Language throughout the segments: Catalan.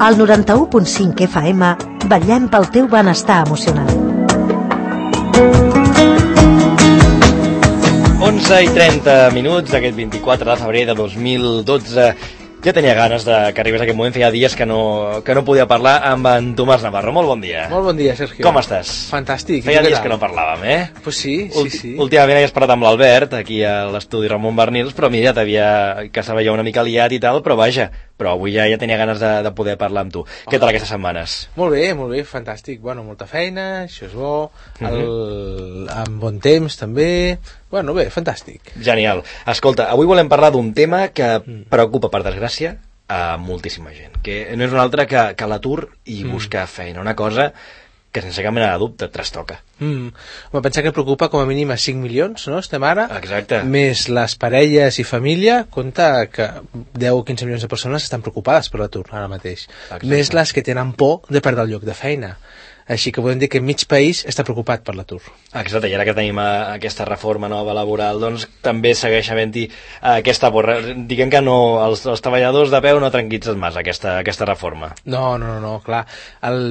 Al 91.5 FM vetllem pel teu benestar emocional. 11:30 d'aquest 24 de febrer de 2012. Ja tenia ganes que arribés aquest moment, feia dies que no podia parlar amb en Tomàs Navarro. Molt bon dia. Molt bon dia, Sergio. Com estàs? Fantàstic. Feia dies que no parlàvem, Pues sí. Últimament havies parlat amb l'Albert, aquí a l'estudi Ramon Bernils, però mira, que se veia una mica liat i tal, però vaja, avui ja tenia ganes de poder parlar amb tu. Què tal aquestes setmanes? Molt bé, fantàstic. Bueno, molta feina, això és bo, amb bon temps també. Bueno, bé, fantàstic. Genial. Escolta, avui volem parlar d'un tema que preocupa, per desgràcia, a moltíssima gent, que no és un altre que l'atur i buscar feina, una cosa que sense cap mena de dubte et trastoca. Home, pensa que preocupa com a mínim a 5 milions, no? Estem ara. Exacte. Més les parelles i família, compta que 10 o 15 milions de persones estan preocupades per l'atur ara mateix. Exacte. Més les que tenen por de perdre el lloc de feina. Així que podem dir que mig país està preocupat per l'atur. Exacte, i ara que tenim aquesta reforma nova laboral, doncs també segueix havent-hi aquesta por. Diguem que no, els treballadors de peu no tranquil·litzen massa aquesta reforma. No, clar.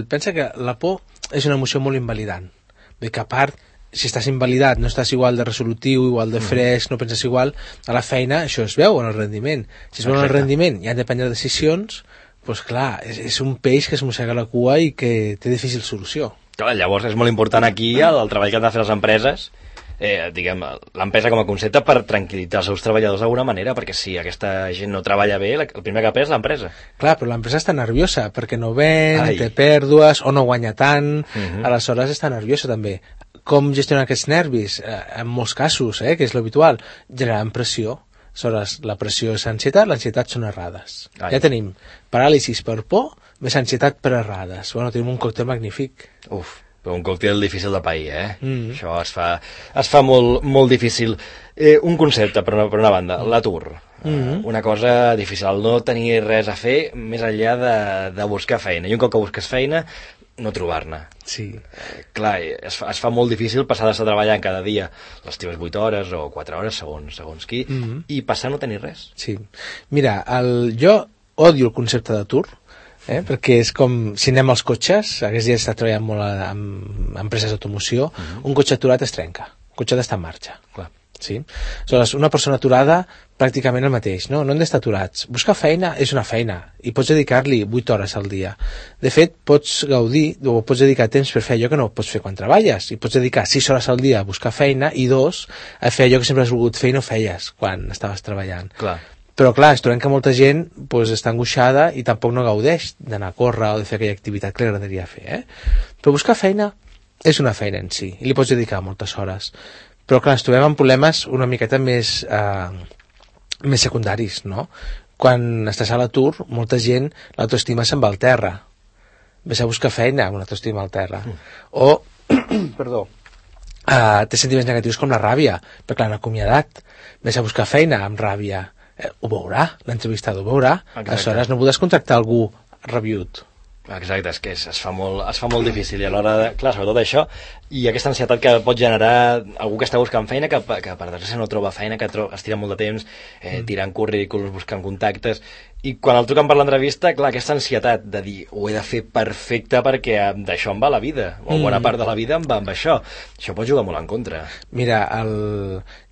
Pensa que la por és una emoció molt invalidant. Bé, que a part, si estàs invalidat, no estàs igual de resolutiu, igual de fresc, no penses igual, a la feina això es veu en el rendiment. Si es veu en el rendiment i han de prendre decisions, doncs clar, és un peix que es mossega la cua i que té difícil solució. Clar, llavors és molt important aquí el treball que han de fer les empreses, l'empresa com a concepte per tranquil·litzar els seus treballadors d'alguna manera, perquè si aquesta gent no treballa bé, el primer que perd és l'empresa. Clar, però l'empresa està nerviosa perquè no ven, té pèrdues o no guanya tant, aleshores està nerviosa també. Com gestionar aquests nervis? En molts casos, que és l'habitual, generant pressió. Aleshores, la pressió és ansietat, l'ansietat són errades. Ja tenim paràlisis per por, més ansietat per errades. Bueno, tenim un còctel magnífic. Però un còctel difícil de pair, Això es fa molt, molt difícil. Un concepte, per una banda, l'atur. Una cosa difícil, el no tenir res a fer més enllà de buscar feina. I un cop que busques feina, no trobar-ne. Sí. Clar, es fa molt difícil passar d'estar treballant cada dia les teves 8 hores o 4 hores, segons qui, i passar a no tenir res. Sí. Mira, jo odio el concepte d'atur, perquè és com si anem als cotxes, aquests dies està treballant molt amb empreses d'automoció, un cotxe aturat es trenca, un cotxe ha d'estar en marxa. Clar. Sí? Aleshores, una persona aturada, pràcticament el mateix, no hem d'estar aturats. Buscar feina és una feina i pots dedicar-li 8 hores al dia. De fet, pots gaudir o pots dedicar temps per fer allò que no pots fer quan treballes, i pots dedicar 6 hores al dia a buscar feina i 2 a fer allò que sempre has volgut fer i no feies quan estaves treballant. Clar. Però clar, es trobem que molta gent està angoixada i tampoc no gaudeix d'anar a córrer o de fer aquella activitat que li agradaria fer. Però buscar feina és una feina en si i li pots dedicar moltes hores. Però clar, ens trobem amb problemes una miqueta més secundaris, no? Quan estàs a l'atur, molta gent, l'autoestima se'n va al terra. Ves a buscar feina amb l'autoestima al terra. O, té sentiments negatius com la ràbia, perquè l'han acomiadat. Ves a buscar feina amb ràbia. Ho veurà, l'entrevistador ho veurà. Aleshores no podràs contractar algú rabiut. Exacte, és que es fa molt difícil, i alhora, clar, sobretot això, i aquesta ansietat que pot generar algú que està buscant feina, que per desgràcia no troba feina, que es tira molt de temps tirant currículums, buscant contactes, i quan el truquen per l'entrevista, clar, aquesta ansietat de dir, ho he de fer perfecte perquè d'això em va la vida, o bona part de la vida em va amb això pot jugar molt en contra. Mira,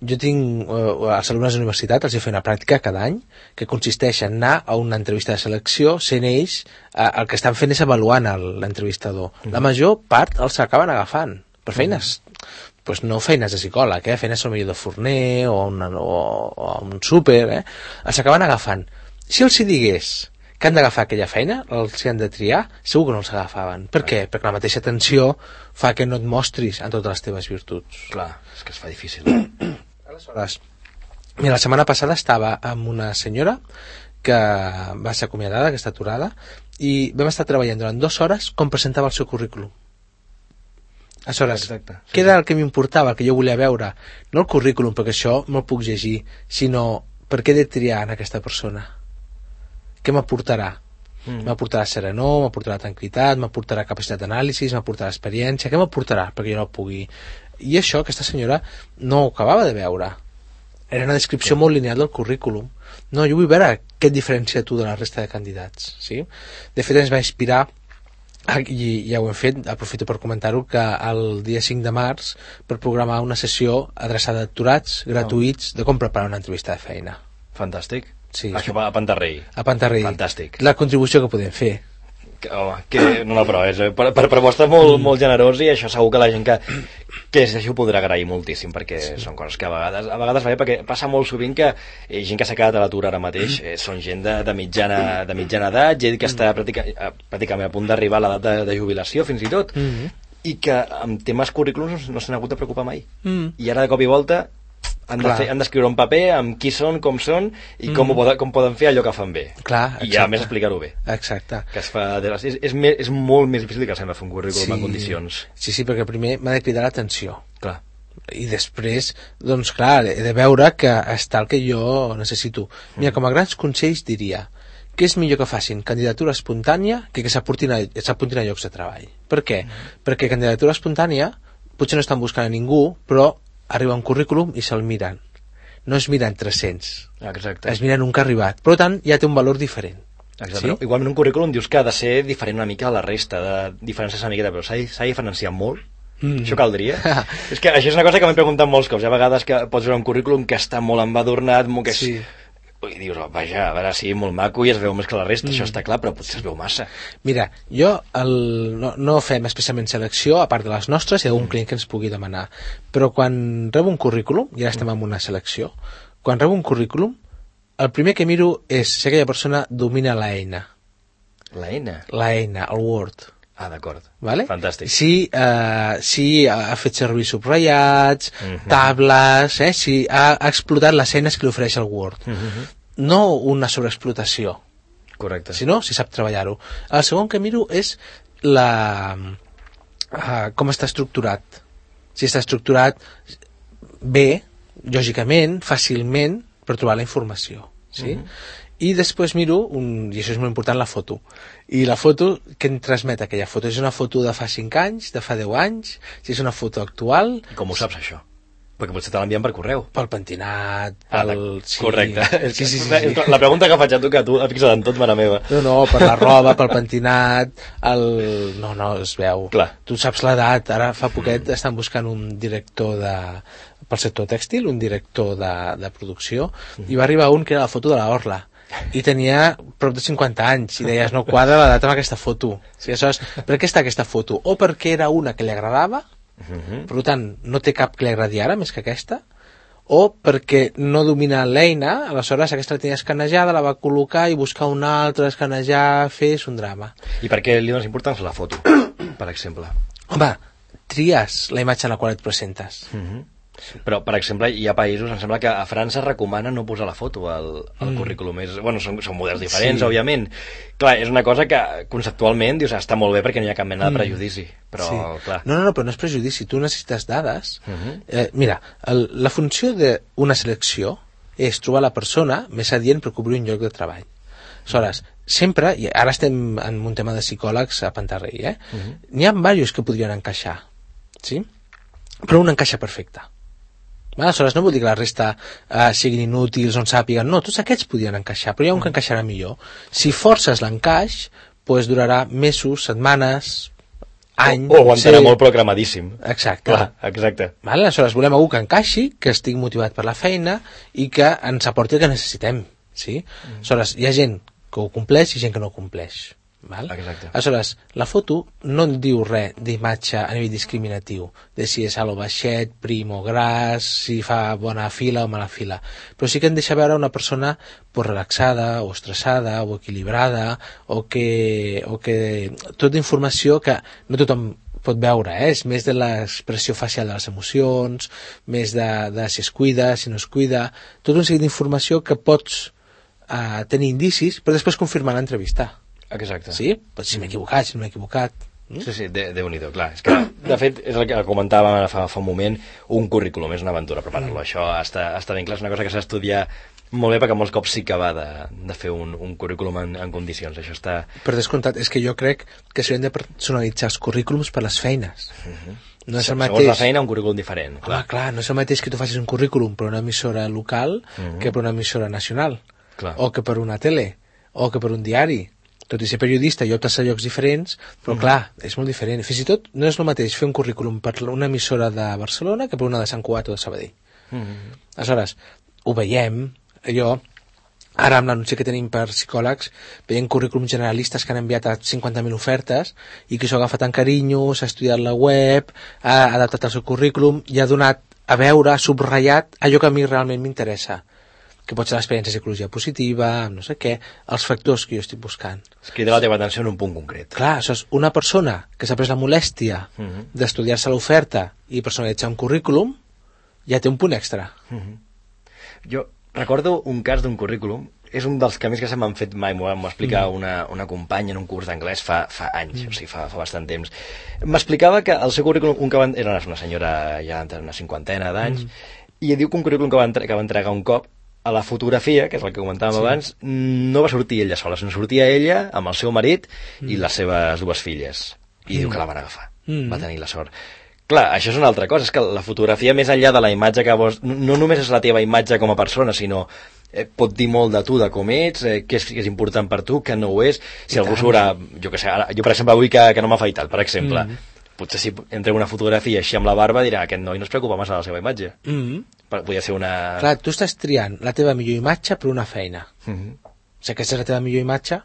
jo tinc als alumnes de universitat, els he fet una pràctica cada any que consisteix en anar a una entrevista de selecció, sent ells el que estan fent és avaluant l'entrevistador. La major part els acaben agafant per feines, no feines de psicòleg, feines millor de forner o a un súper, els acaben agafant. Si els hi digués que han d'agafar aquella feina, els hi han de triar, segur que no els agafaven. Per què? Perquè la mateixa tensió fa que no et mostris en totes les teves virtuts. Clar, és que es fa difícil. Aleshores, mira, la setmana passada estava amb una senyora que va ser acomiadada, que està aturada, i vam estar treballant durant 2 hores com presentava el seu currículum. Aleshores, què era el que m'importava, el que jo volia veure? No el currículum, perquè això me'l puc llegir, sinó per què he de triar en aquesta persona? Què m'aportarà? M'aportarà serenor, m'aportarà tranquil·litat, m'aportarà capacitat d'anàlisi, m'aportarà experiència, què m'aportarà perquè jo no el pugui? I això aquesta senyora no ho acabava de veure. era una descripció molt lineal del currículum. No, jo vull veure què et diferencia tu de la resta de candidats, sí? De fet, ens va inspirar, i ja ho hem fet, aprofito per comentar-ho, que el dia 5 de març per programar una sessió adreçada a aturats gratuïts de com preparar una entrevista de feina. Fantàstic. Sí. Això va a Pantarrell. A Pantarrell. Fantàstic. La contribució que podem fer. No, però és per vostre molt generós, i això segur que la gent que és així ho podrà agrair moltíssim, perquè són coses que a vegades va bé, perquè passa molt sovint que gent que s'ha quedat a l'atur ara mateix són gent de mitjana edat, gent que està pràcticament a punt d'arribar a l'edat de jubilació fins i tot, i que amb temes currículums no s'han hagut de preocupar mai, i ara de cop i volta han d'escriure un paper amb qui són, com són i com poden fer allò que fan bé. Clar, i a més explicar-ho bé. Exacte. Que es fa és molt més difícil que sembla fer un currículum en condicions. Sí, perquè primer m'ha de cridar l'atenció. Clar. I després, doncs clar, he de veure que està el que jo necessito. Mira, com a grans consells diria que és millor que facin candidatura espontània que s'apuntin a llocs de treball. Per què? Perquè candidatura espontània potser no estan buscant a ningú, però arriba un currículum i se'l miren. No es miren 300. Exacte. Es miren un que ha arribat. Per tant, ja té un valor diferent. Exacte. Sí? Igualment un currículum dius que ha de ser diferent una mica a la resta, de diferències una miqueta, però s'ha de diferenciar molt. Això caldria. És que això és una cosa que m'he preguntat molts cops. Hi ha vegades que pots veure un currículum que està molt embadurnat, que és... Sí. I dius, vaja, a veure, sí, molt maco i es veu més que la resta, això està clar, però potser es veu massa. Mira, jo no fem especialment selecció, a part de les nostres, hi ha un client que ens pugui demanar, però quan rebo un currículum, i ara estem en una selecció, quan rebo un currículum, el primer que miro és si aquella persona domina la eina. La eina? La eina, el Word. Ah, d'acord. Vale? Fantàstic. Si ha fet servir subratllats, tables, si ha explotat les eines que li ofereix el Word. No una sobreexplotació. Correcte. Sinó si sap treballar-ho. El segon que miro és com està estructurat. Si està estructurat bé, lògicament, fàcilment, per trobar la informació. Sí? I després miro, i això és molt important, la foto. I la foto, què em transmet aquella foto? És una foto de fa 5 anys, de fa 10 anys, si és una foto actual... I com ho saps, això? Perquè potser te l'envien per correu. Pel pentinat, sí. Correcte. Sí. La pregunta que faig a tu, que tu et fixes en tot, mare meva. No, per la roba, pel pentinat, No, es veu. Clar. Tu saps l'edat, ara fa poquet estan buscant un director pel sector tèxtil, un director de producció, i va arribar un que era la foto de la Orla. I tenia prop de 50 anys i deies, no quadra l'edat amb aquesta foto. Sí, aleshores, per què està aquesta foto? O perquè era una que li agradava, per tant no té cap que li agradi ara més que aquesta, o perquè no domina l'eina, aleshores aquesta la tenia escanejada, la va col·locar i buscar una altra, escanejar, és un drama. I per què li dones importància a la foto, per exemple? Home, tries la imatge en la qual et presentes. Però, per exemple, hi ha països, em sembla que a França recomana no posar la foto al currículum. Són models diferents, òbviament. Clar, és una cosa que conceptualment dius, està molt bé perquè no hi ha cap mena de prejudici. Però, clar... No, però no és prejudici. Tu necessites dades. Mira, la funció d'una selecció és trobar la persona més adient per cobrir un lloc de treball. Aleshores, sempre, i ara estem en un tema de psicòlegs a Pantarrell, n'hi ha diversos que podrien encaixar, sí? Però un encaixa perfecte. Aleshores, no vol dir que la resta siguin inútils, on sàpiguen, no, tots aquests podien encaixar, però hi ha un que encaixarà millor. Si forces l'encaix, doncs durarà mesos, setmanes, anys... O aguantarà molt programadíssim. Exacte. Clar, exacte. Aleshores, volem algú que encaixi, que estigui motivat per la feina i que ens aporti el que necessitem. Sí? Aleshores, hi ha gent que ho compleix i gent que no ho compleix. Exacte. Aleshores, la foto no en diu res d'imatge a nivell discriminatiu, de si és alt o baixet, prim o gras, si fa bona fila o mala fila, però sí que en deixa veure una persona relaxada o estressada o equilibrada o que tota informació que no tothom pot veure, és més de l'expressió facial de les emocions, més de si es cuida, si no es cuida, tot un seguit d'informació que pots tenir indicis però després confirmar l'entrevista. Exacte. Sí? Pues si m'he equivocat, si no m'he equivocat. Sí, Déu-n'hi-do, clar. És que, de fet, és el que comentàvem fa un moment, un currículum, és una aventura preparar-lo. Això està ben clar, és una cosa que s'ha d'estudiar molt bé perquè molts cops sí que va de fer un currículum en condicions. Això està... Per descomptat, és que jo crec que s'haurien de personalitzar els currículums per les feines. No és el Segons mateix... la feina, un currículum diferent. Clar, no és el mateix que tu facis un currículum per una emissora local que per una emissora nacional, o que per una tele, o que per un diari. Tot i ser periodista i optes a llocs diferents, però clar, és molt diferent. Fins i tot no és el mateix fer un currículum per una emissora de Barcelona que per una de Sant Cugat o de Sabadell. Aleshores, ho veiem, ara amb l'anunci que tenim per psicòlegs, veiem currículums generalistes que han enviat a 50.000 ofertes i que s'ho ha agafat en carinyo, s'ha estudiat la web, ha adaptat el seu currículum i ha donat a veure, ha subratllat allò que a mi realment m'interessa, que pot ser l'experiència de psicologia positiva, no sé què, els factors que jo estic buscant. Es crida la teva atenció en un punt concret. Clar, això és una persona que s'ha pres la molèstia d'estudiar-se l'oferta i personalitzar un currículum, ja té un punt extra. Jo recordo un cas d'un currículum, és un dels que més que se m'han fet mai, m'ho va explicar una companya en un curs d'anglès fa anys, o sigui, fa bastant temps. M'explicava que el seu currículum, era una senyora ja entre una cinquantena d'anys, i diu que un currículum que va entregar un cop, a la fotografia, que és el que comentàvem abans, no va sortir ella sola, sinó sortia ella amb el seu marit i les seves dues filles. I diu que la van agafar. Va tenir la sort. Clar, això és una altra cosa, és que la fotografia, més enllà de la imatge que vols... No només és la teva imatge com a persona, sinó pot dir molt de tu, de com ets, què és important per tu, què no ho és. Si algú surt, jo què sé, jo per exemple avui que no m'ha afaitat, per exemple, potser si entrego una fotografia així amb la barba dirà aquest noi no es preocupa massa de la seva imatge. Podria ser una... Clar, tu estàs triant la teva millor imatge per una feina. O sigui, aquesta és la teva millor imatge,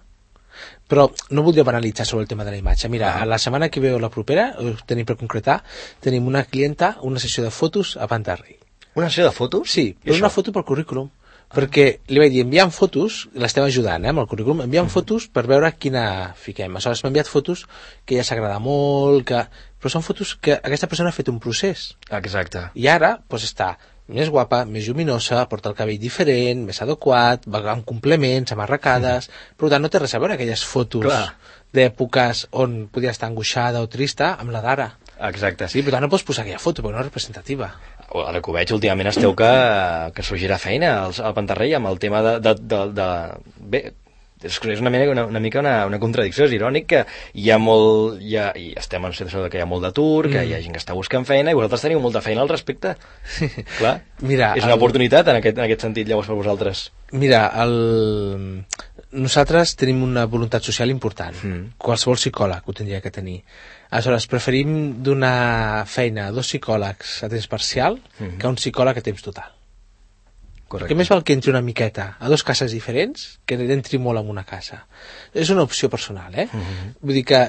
però no voldria banalitzar sobre el tema de la imatge. Mira, la setmana que ve o la propera, tenim per concretar, tenim una clienta, una sessió de fotos a Pantarrey. Una sessió de fotos? Sí, però una foto pel currículum. Perquè li vaig dir, enviant fotos, l'estem ajudant amb el currículum, enviant fotos per veure quina fiquem. Aleshores m'ha enviat fotos que ja s'agrada molt, però són fotos que aquesta persona ha fet un procés. Exacte. I ara doncs, està més guapa, més lluminosa, porta el cabell diferent, més adequat, va amb complements, amb arracades, per tant no té res a veure aquelles fotos d'èpoques on podia estar angoixada o trista amb la d'ara. Exacte. Sí, per tant no pots posar aquella foto perquè no és representativa. Ara que ho veig, últimament esteu que sorgirà feina al Pantarrey amb el tema bé, és una mica una contradicció, és irònic que hi ha molt... i estem en situació que hi ha molt d'atur, que hi ha gent que està buscant feina i vosaltres teniu molta feina al respecte. Clar, mira, és una oportunitat en aquest sentit llavors per vosaltres. Mira, nosaltres tenim una voluntat social important. Qualsevol psicòleg ho tindria que tenir. Aleshores, preferim donar feina a 2 psicòlegs a temps parcial que a un psicòleg a temps total. Correcte. Perquè més val que entri una miqueta a 2 cases diferents que entri molt en una casa. És una opció personal, Vull dir que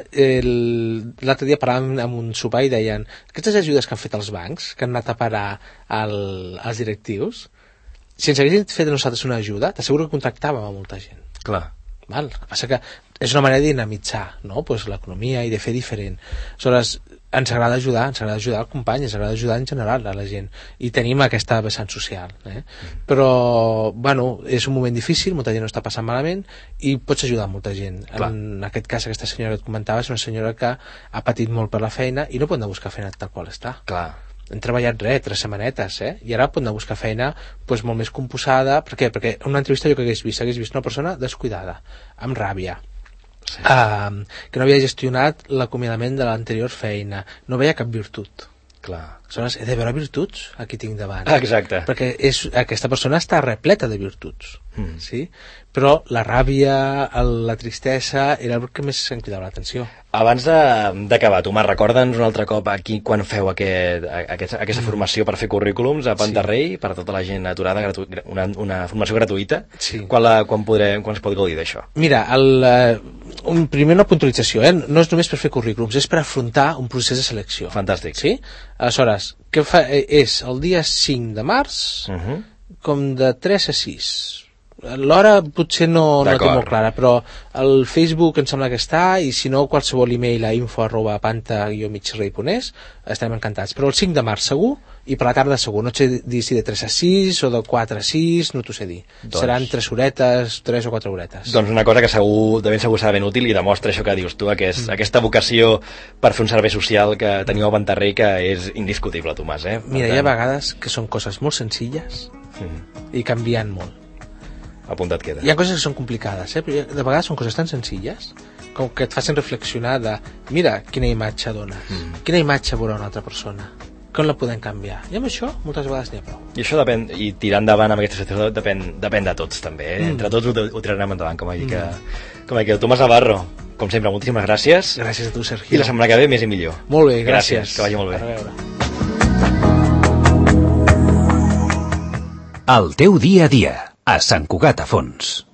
l'altre dia parlàvem amb un sopar i deien aquestes ajudes que han fet els bancs, que han anat a parar als directius, si ens haguessin fet a nosaltres una ajuda, t'asseguro que contractàvem a molta gent. Clar. El que passa que és una manera de dinamitzar, no? Pues l'economia i de fer diferent. Aleshores, ens agrada ajudar al company, ens agrada ajudar en general a la gent i tenim aquesta vessant social, però bueno, és un moment difícil, molta gent no està passant malament i pots ajudar molta gent. Clar. En aquest cas, aquesta senyora que et comentava és una senyora que ha patit molt per la feina i no pot anar a buscar feina tal qual està. Clar. Hem treballat 3 setmanetes, i ara pot anar a buscar feina doncs, molt més composada. Per què? Perquè en una entrevista jo que hagués vist una persona descuidada, amb ràbia, que no havia gestionat l'acomiadament de l'anterior feina, no veia cap virtut. Clar. Aleshores, he de veure virtuts aquí tinc davant. Exacte. Perquè aquesta persona està repleta de virtuts, sí? Però la ràbia, la tristesa era el que més em cridava l'atenció. Abans d'acabar, Tomàs, recorda'ns un altre cop aquí quan feu aquesta formació per fer currículums a Pantarrey, per a tota la gent aturada, una formació gratuïta. Sí. Quan es pot gaudir d'això? Mira, primer una puntualització, no és només per fer currículums, és per afrontar un procés de selecció. Fantàstic. Sí? Aleshores, què fa? És el dia 5 de març, com de 3 a 6. L'hora potser no té molt clara, però el Facebook em sembla que està, i si no qualsevol email a info@panta-migrei.es estarem encantats, però el 5 de març segur i per la tarda segur, no sé dir si de 3 a 6 o de 4 a 6, no t'ho sé dir, seran 3 horetes, 3 o 4 horetes. Doncs una cosa que de ben segur serà ben útil i demostra això que dius tu, aquesta vocació per fer un servei social que teniu a Pantarrei, que és indiscutible, Tomàs. Mira, hi ha vegades que són coses molt senzilles i canvien molt. Apuntat queda. Hi ha coses que són complicades, però de vegades són coses tan senzilles com que et facin reflexionar de mira quina imatge dones, quina imatge veurà una altra persona, com la podem canviar, i amb això moltes vegades n'hi ha prou. I això depèn, i tirar endavant amb aquesta situació depèn de tots també, entre tots ho tirarem endavant, com a que Tomàs Navarro, com sempre, moltíssimes gràcies. Gràcies a tu, Sergio. I la setmana que ve més i millor. Molt bé, gràcies. Que vagi molt bé. A veure. El teu dia a dia, a Sant Cugat a Fons.